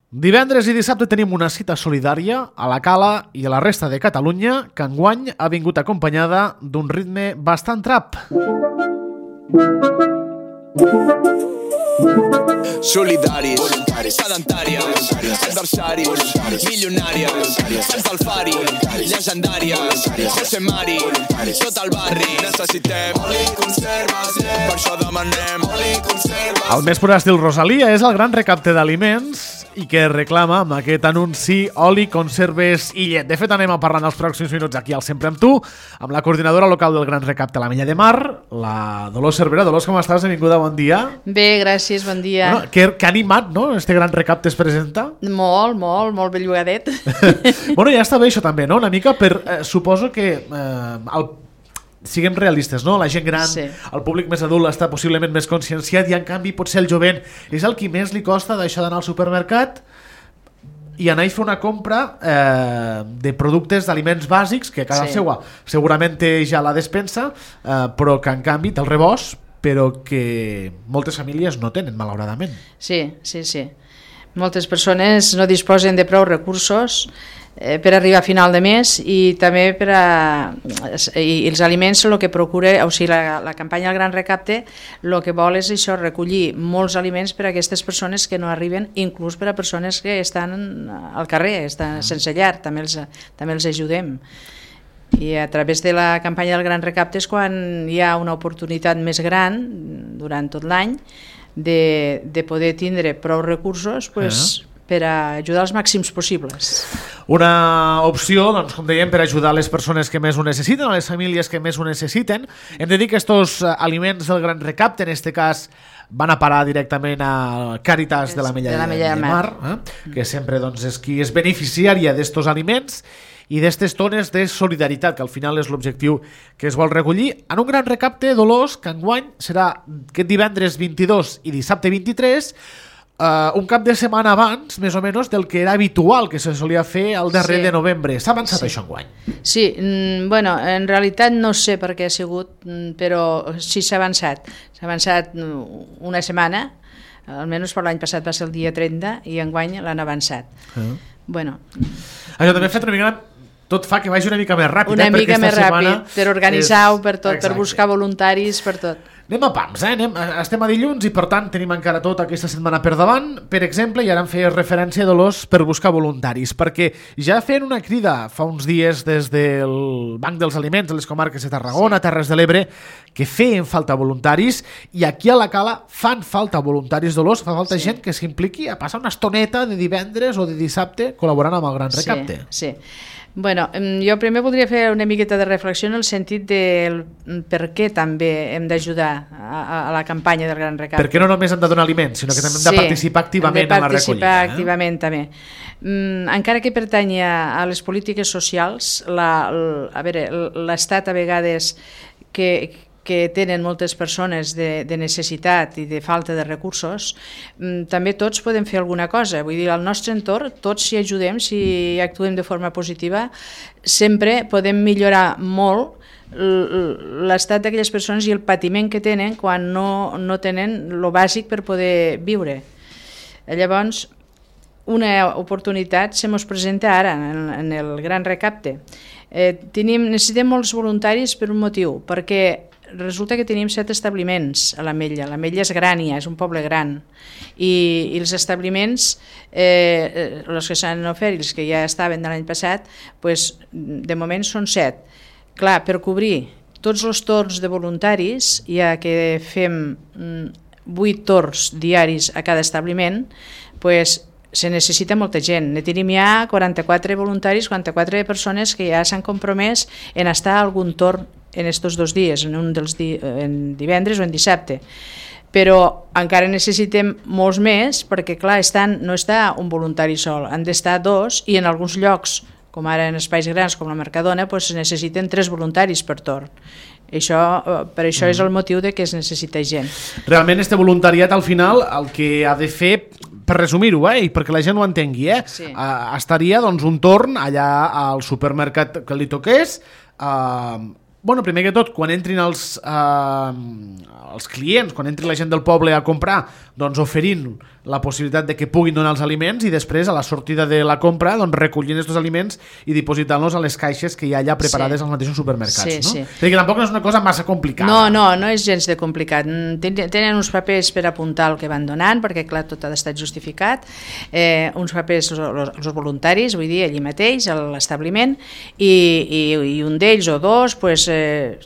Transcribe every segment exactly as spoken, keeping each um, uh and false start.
Divendres i dissabte tenim una cita solidària a la Cala i a la resta de Catalunya que enguany ha vingut acompanyada d'un ritme bastant trap. Solidaris, sedentàries, adversaris, milionàries, Sants del Fari, llegendàries, José Mari, tot el barri. Necessitem oli conserves, per això demanem oli conserves. El més pur estil Rosalia és el gran recapte d'aliments i que reclama amb aquest anunci oli, conserves i llet. De fet, anem a parlar en els pròxims minuts aquí al Sempre amb tu, amb la coordinadora local del Gran Recapte a la Mella de Mar, la Dolors Cervera. Dolors, com estàs? Benvinguda, bon dia. Bé, gràcies, bon dia. Bueno, que, que animat, no?, este Gran Recapte es presenta. Molt, molt, molt bellugadet. Bueno, ja està bé això també, no?, una mica per... Eh, suposo que eh, el siguem realistes, no? La gent gran, sí. El públic més adult està possiblement més conscienciat i en canvi potser el jovent és el qui més li costa d'això d'anar al supermercat i anar a fer una compra eh, de productes, d'aliments bàsics que a casa sí. seva segurament té ja la despensa, eh, però que en canvi té el rebost, però que moltes famílies no tenen, malauradament. Sí, sí, sí. Moltes persones no disposen de prou recursos eh, per arribar a final de mes i també per a... I els aliments el que procura, o sigui, la, la campanya del Gran Recapte el que vol és això, recollir molts aliments per a aquestes persones que no arriben, inclús per a persones que estan al carrer, estan sense llar, també els, també els ajudem. I a través de la campanya del Gran Recapte és quan hi ha una oportunitat més gran durant tot l'any de, de poder tindre prou recursos pues, uh-huh. per a ajudar els màxims possibles. Una opció, doncs, com dèiem, per ajudar les persones que més ho necessiten, a les famílies que més ho necessiten. Hem de dir que estos aliments del Gran Recapte, en este cas, van a parar directament a Càritas de la Mella de, de, de Mar, eh? que sempre doncs, és qui és beneficiària d'estos aliments i d'aquestes tones de solidaritat, que al final és l'objectiu que es vol recollir en un gran recapte, Dolors, que enguany serà aquest divendres vint-i-dos i dissabte vint-i-tres, uh, un cap de setmana abans, més o menys, del que era habitual que se solia fer al darrer sí. de novembre. S'ha avançat sí. això enguany? Sí, mm, bueno, en realitat no sé per què ha sigut, però sí s'ha avançat. S'ha avançat una setmana, almenys per l'any passat va ser el dia trenta, i enguany l'han avançat. Uh-huh. Bueno. Això també ha fet una mica... Tot fa que vagi una mica més ràpid. Una eh? mica més ràpid, per organitzar-ho, és... per tot, Exacte. per buscar voluntaris, per tot. Anem a pams, eh? Anem, estem a dilluns i per tant tenim encara tota aquesta setmana per davant. Per exemple, i ara em feies referència, Dolors, per buscar voluntaris, perquè ja feien una crida fa uns dies des del Banc dels Aliments de les comarques de Tarragona, sí. Terres de l'Ebre, que feien falta voluntaris, i aquí a la Cala fan falta voluntaris, Dolors, fa falta sí. gent que s'impliqui a passar una estoneta de divendres o de dissabte col·laborant amb el Gran Recapte. Sí, sí. Bueno, jo primer voldria fer una miqueta de reflexió en el sentit del per què també hem d'ajudar a, a la campanya del Gran Recapte. Perquè no només hem de donar aliments, sinó que també hem de sí, participar activament en la recollida. Hem de participar activament eh? també. Mm, encara que pertanyi a les polítiques socials, la, la, a veure, l'Estat a vegades que... que tenen moltes persones de, de necessitat i de falta de recursos, també tots podem fer alguna cosa. Vull dir, al nostre entorn, tots si ajudem, si actuem de forma positiva, sempre podem millorar molt l'estat d'aquelles persones i el patiment que tenen quan no, no tenen el bàsic per poder viure. Llavors, una oportunitat se mos presenta ara en, en el Gran Recapte. Eh, tenim, necessitem molts voluntaris per un motiu, perquè resulta que tenim set establiments a l'Ametlla. L'Ametlla és gran, ja, és un poble gran. I, i els establiments, eh, els que s'han ofert i els que ja estaven de l'any passat, pues, de moment són set. Clar, per cobrir tots els torns de voluntaris, ja que fem vuit torns diaris a cada establiment, pues, se necessita molta gent. Ne tenim ja quaranta-quatre voluntaris, quaranta-quatre persones que ja s'han compromès en estar a algun torn en estos dos dies, en un dels di en divendres o en dissabte. Però encara necessitem molts més perquè, clar, estan, no està un voluntari sol, han d'estar dos i en alguns llocs, com ara en espais grans com la Mercadona, pues, necessiten tres voluntaris per torn. Això, per això mm. és el motiu de que es necessita gent. Realment, este voluntariat, al final, el que ha de fer, per resumir-ho, eh, i perquè la gent ho entengui, eh, sí. uh, estaria doncs, un torn allà al supermercat que li toqués, uh, bueno, primer que tot, quan entrin els, eh, els clients, quan entri la gent del poble a comprar, doncs oferint la possibilitat de que puguin donar els aliments i després a la sortida de la compra doncs recollint aquests aliments i dipositant-los a les caixes que hi ha allà preparades sí. als mateixos supermercats. Sí, no? sí. Perquè tampoc no és una cosa massa complicada. No, no, no és gens de complicat. Tenen uns papers per apuntar el que van donant, perquè clar, tot ha d'estar justificat, eh, uns papers els voluntaris, vull dir, allí mateix, a l'establiment, i, i, i un d'ells o dos, pues, eh,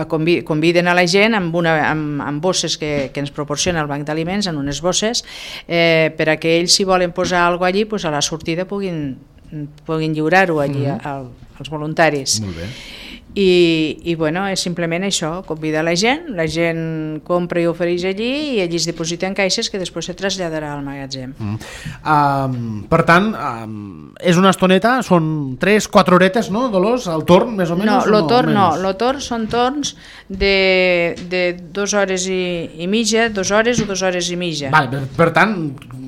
conviden a la gent amb, una, amb, amb bosses que, que ens proporciona el banc d'aliments, en unes bosses, eh, per a que ells, si volen posar alguna cosa allí, pues a la sortida puguin, puguin lliurar-ho allí mm-hmm. al, als voluntaris. Molt bé. I, i bueno, és simplement això, convidar la gent, la gent compra i ofereix allí i allí es dipositen caixes que després se traslladarà al magatzem. Mm. Um, per tant, um, és una estoneta, són tres, quatre horetes, no, Dolors, el torn, més o menys? No, el no, torn no, el torn són torns de, de dues hores i, i mitja, dues hores o dues hores i mitja. Val, per, per tant,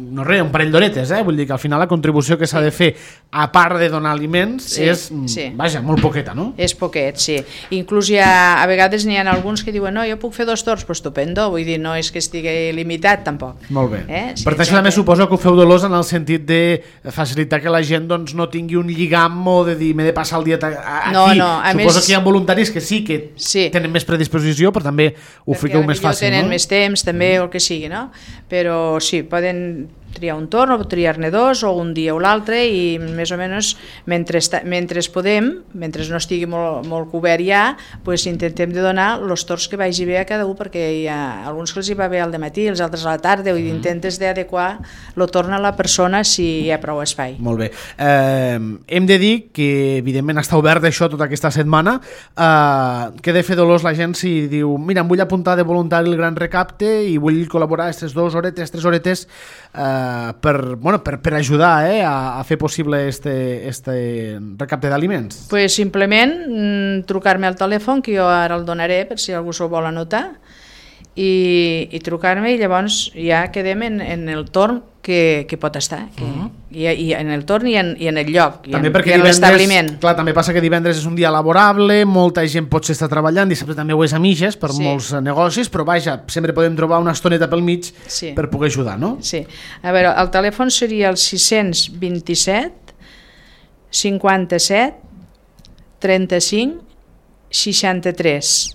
no res, un parell d'horetes, eh? Vull dir que al final la contribució que s'ha sí. de fer, a part de donar aliments, sí, és, sí. vaja, molt poqueta, no? És poquet, sí. Inclús hi ha, a vegades n'hi ha alguns que diuen no, jo puc fer dos torns, pues estupendo, vull dir, no és que estigui limitat tampoc. Molt bé. Eh? Sí, per tant, això també suposo que ho feu Dolors en el sentit de facilitar que la gent doncs, no tingui un lligam o de dir m'he de passar el dia aquí. No, no, a suposo més... que hi ha voluntaris que sí que sí. tenen més predisposició, però també ho fiqueu més fàcil, tenen no? més temps també o el que sigui, no? Però sí, poden triar un torn o triar-ne dos o un dia o l'altre i més o menys mentre, esta, mentre podem, mentre no estigui molt, molt cobert ja, pues intentem de donar els torns que vagi bé a cada un perquè hi ha alguns que els hi va bé al dematí, els altres a la tarda, i intentes d'adequar el torn a la persona si hi ha prou espai. Molt bé. Eh, hem de dir que evidentment està obert això tota aquesta setmana. Eh, què de fer Dolors la gent si diu mira, em vull apuntar de voluntari el Gran Recapte i vull col·laborar aquestes dues horetes, tres horetes eh, per, bueno, per, per ajudar eh, a, a fer possible este, este recapte d'aliments? Pues simplement mm, trucar-me al telèfon, que jo ara el donaré per si algú s'ho vol anotar, i, i trucar-me i llavors ja quedem en, en el torn que, que pot estar, que, uh-huh. i, i en el torn i en, i en el lloc, i també en, i en l'establiment. Clar, també passa que divendres és un dia laborable, molta gent potser està treballant, dissabte també ho és a mitges per sí. molts negocis, però vaja, sempre podem trobar una estoneta pel mig sí. per poder ajudar, no? Sí. A veure, el telèfon seria el sis dos set cinquanta-set trenta-cinc seixanta-tres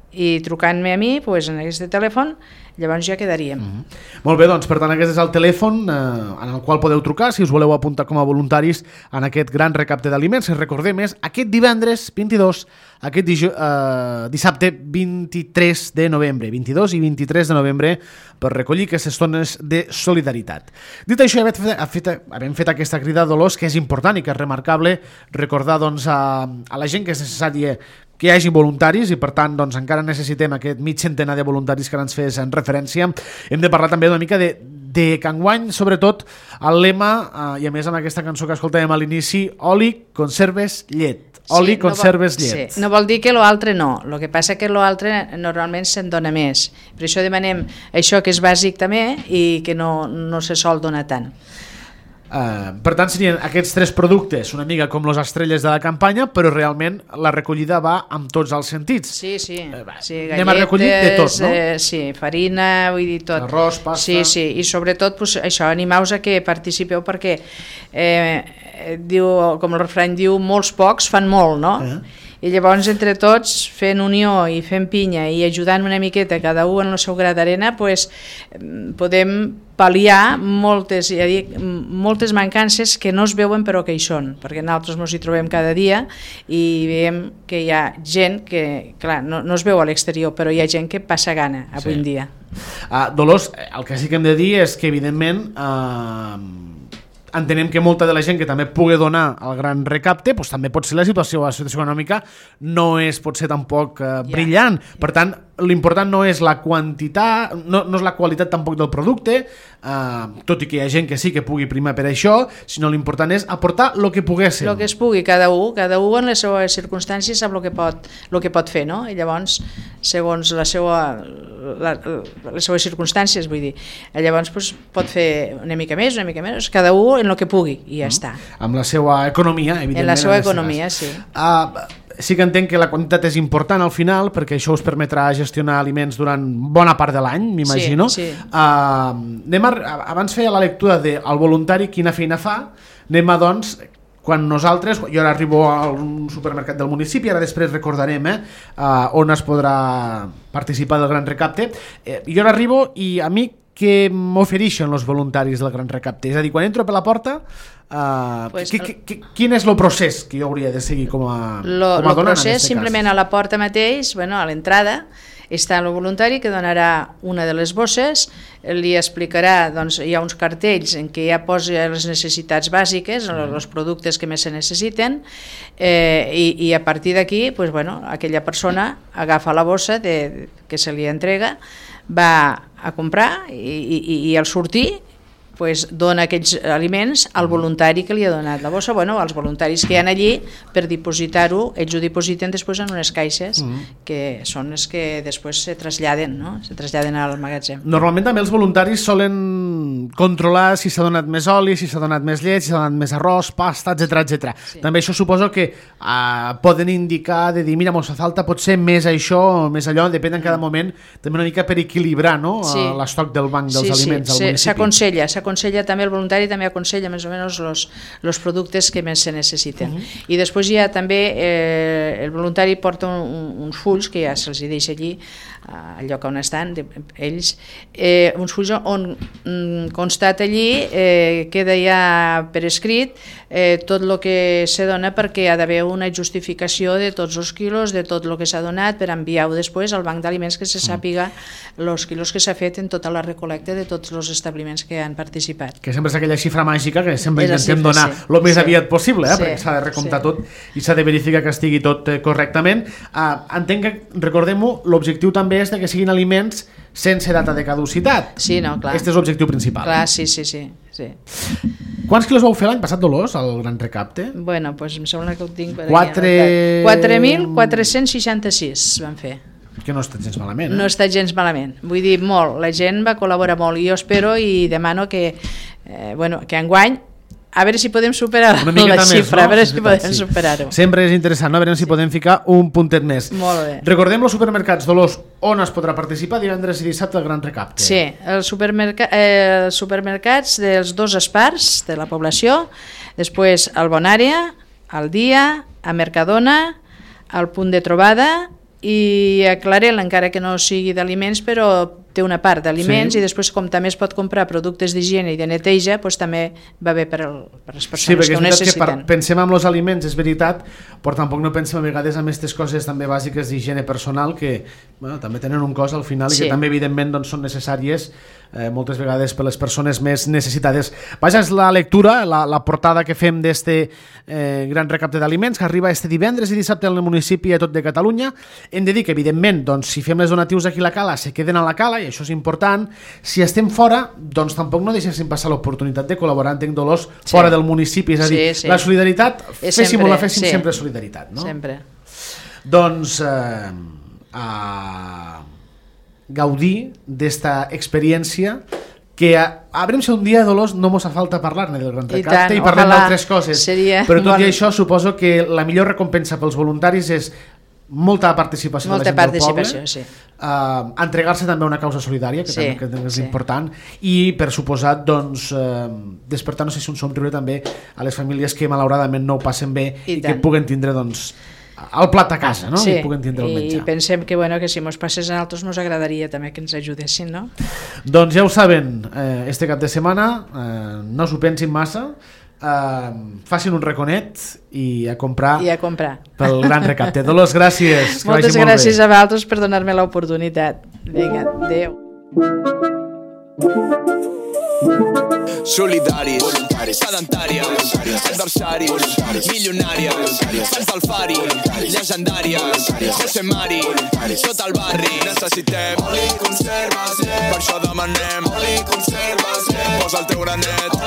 i trucant-me a mi pues, en aquest telèfon llavors ja quedaríem. Mm-hmm. Molt bé, doncs per tant aquest és el telèfon eh, en el qual podeu trucar si us voleu apuntar com a voluntaris en aquest gran recapte d'aliments. Si recordem és aquest divendres vint-i-dos, aquest dij- eh, dissabte vint-i-tres de novembre, vint-i-dos i vint-i-tres de novembre per recollir aquestes tones de solidaritat. Dit això, havem fet, havem fet aquesta crida a Dolors que és important i que és remarcable recordar doncs, a, a la gent que és necessària que hi hagi voluntaris i per tant doncs, encara necessitem aquest mig centenar de voluntaris que ens fes en referència. Hem de parlar també una mica de, de que enguany, sobretot, el lema, eh, i a més amb aquesta cançó que escoltàvem a l'inici, oli, conserves, llet. Oli, sí, conserves, no vol, llet. Sí. No vol dir que l'altre no, el que passa que l'altre normalment se'n dona més. Per això demanem això que és bàsic també i que no, no se sol donar tant. Uh, per tant serien aquests tres productes una mica com les estrelles de la campanya, però realment la recollida va amb tots els sentits. Sí, sí, uh, sí galletes, anem a recollir de tot, no? Eh, sí, farina, vull dir tot. Arròs, pasta. Sí, sí, i sobretot pues, això, animeu-vos a que participeu perquè eh, diu, com el refrany diu, molts pocs fan molt, no? Uh-huh. I llavors entre tots fent unió i fent pinya i ajudant una miqueta cada un en el seu gra d'arena pues, podem pal·liar moltes, ja dic, moltes mancances que no es veuen però que hi són, perquè nosaltres ens hi trobem cada dia i veiem que hi ha gent que, clar, no, no es veu a l'exterior, però hi ha gent que passa gana avui sí. en dia. Uh, Dolors, el que sí que hem de dir és que evidentment uh, entenem que molta de la gent que també pugui donar el gran recapte doncs també pot ser la situació, la situació econòmica no és potser tampoc uh, brillant, yeah. per tant l'important no és la quantitat, no, no és la qualitat tampoc del producte, eh, tot i que hi ha gent que sí que pugui primar per això, sinó l'important és aportar el que poguéssim. El que es pugui, cada un, cada un en les seves circumstàncies sap el que pot, el que pot fer, no? I llavors, segons la seva, la, les seves circumstàncies, vull dir, llavors pues, pot fer una mica més, una mica més, cada un en el que pugui, i ja mm. està. Amb la seva economia, evidentment. En la seva economia, sí. Uh, sí que entenc que la quantitat és important al final, perquè això us permetrà gestionar aliments durant bona part de l'any, m'imagino. Sí, sí. Uh, anem a, abans feia la lectura del de voluntari, quina feina fa, anem a, doncs, quan nosaltres, jo ara arribo a un supermercat del municipi, ara després recordarem eh, uh, on es podrà participar del Gran Recapte, eh, jo ara arribo i a mi què m'ofereixen els voluntaris del Gran Recapte? És a dir, quan entro per la porta, uh, pues qui, qui, quin és el procés que jo hauria de seguir com a, lo, com a donant? El procés, simplement cas? A la porta mateix, bueno, a l'entrada, està el voluntari que donarà una de les bosses, li explicarà, doncs hi ha uns cartells en què ja posa les necessitats bàsiques, mm. els productes que més se necessiten, eh, i, i a partir d'aquí, pues, bueno, aquella persona agafa la bossa de, que se li entrega, va a comprar i, i, i al sortir pues, dona aquells aliments al voluntari que li ha donat la bossa, bueno, als voluntaris que hi ha allí per dipositar-ho, ells ho dipositen després en unes caixes mm. que són les que després se traslladen, no? Se traslladen al magatzem. Normalment també els voluntaris solen controlar si s'ha donat més oli, si s'ha donat més llet, si s'ha donat més arròs, pasta, etcètera, etcètera. Sí. També això suposo que uh, poden indicar de dir, mira, mos fa falta potser més això o més allò, depèn en cada moment, també una mica per equilibrar, no? Sí. Uh, l'estoc del banc dels sí, aliments sí. al municipi. S'aconsella, s'aconsella també, el voluntari també aconsella més o menys los, los productes que més se necessiten. Uh -huh. I després ja també eh, el voluntari porta un, uns fulls que ja se'ls deixa allí, al lloc on estan de, ells, eh, uns fulls on mm, constata allí, eh, queda ja per escrit eh, tot el que se dona, perquè hi ha d'haver una justificació de tots els quilos, de tot el que s'ha donat, per enviar-ho després al banc d'aliments, que se sàpiga els quilos que s'ha fet en tota la recolecta de tots els establiments que han participat. Que sempre és aquella xifra màgica que sempre és intentem xifra, donar el sí. més sí. aviat possible, eh? sí. perquè s'ha de recomptar sí. tot i s'ha de verificar que estigui tot eh, correctament. Uh, entenc que, recordem-ho, l'objectiu també és de que siguin aliments sense data de caducitat. Sí, no, clar. Aquest és l'objectiu principal. Clar, sí, sí, sí. sí. Quants quilos vau fer l'any passat, Dolors, al Gran Recapte? Bueno, pues em sembla que ho tinc per Quatre... quatre mil quatre-cents seixanta-sis van fer. Que no ha estat gens malament. Eh? No ha estat gens malament. Vull dir, molt. La gent va col·laborar molt i jo espero i demano que, eh, bueno, que enguany a veure si podem superar la xifra, més, no? a veure si podem sí. superar-ho. Sempre és interessant, no? A veure si podem ficar un puntet més. Molt bé. Recordem els supermercats, Dolors, on es podrà participar divendres i dissabte al Gran Recapte. Sí, els supermerca eh, supermercats dels dos espars de la població, després al Bonària, al Dia, a Mercadona, al Punt de Trobada i a Clarel, encara que no sigui d'aliments, però té una part d'aliments sí. i després, com també es pot comprar productes d'higiene i de neteja, doncs també va bé per, el, per les persones sí, que ho necessiten. Que pensem en els aliments, és veritat, però tampoc no pensem a vegades en aquestes coses també bàsiques d'higiene personal que bueno, també tenen un cost al final sí. i que també evidentment doncs, són necessàries eh, moltes vegades per les persones més necessitades. Vaja, és la lectura, la, la portada que fem d'este eh, Gran Recapte d'Aliments que arriba este divendres i dissabte al municipi a tot de Catalunya. Hem de dir que evidentment doncs, si fem les donatius aquí a la Cala se queden a la Cala i això és important. Si estem fora, doncs tampoc no deixéssim passar l'oportunitat de col·laborar, entenc, Dolors, sí. fora del municipi, és a dir, sí, sí. la solidaritat, féssim o la féssim sí. sempre solidaritat, no? Sempre. Doncs eh, a gaudir d'esta experiència que a, a veure si un dia, Dolors, no mos fa falta parlar-ne del Gran Recapte i, i parlem d'altres coses, però tot bon... i això suposo que la millor recompensa pels voluntaris és molta participació molta de la gent del poble, sí. uh, entregar-se també a una causa solidària que, sí, també, que és sí. important i per suposat doncs, uh, despertar no sé si un somriure també a les famílies que malauradament no ho passen bé i, i que puguen tindre doncs, el plat a casa, no? Sí. I puguen tindre el menjar. I pensem que, bueno, que si mos passés a altres nos agradaria també que ens ajudessin, no? Doncs ja ho saben, eh, este cap de setmana eh, no s'ho pensin massa. Uh, facin un raconet i a comprar, I a comprar. pel Gran Recapte. Dolors, gràcies. Moltes gràcies molt a vosaltres per donar-me l'oportunitat. Vinga, adéu. Solidaris, sedentàries, adversaris, milionàries, fans del Fari, llegendàries, José Mari, tot el barri. Necessitem oli, conserves, per això demanem oli, conserves, posa el teu granet.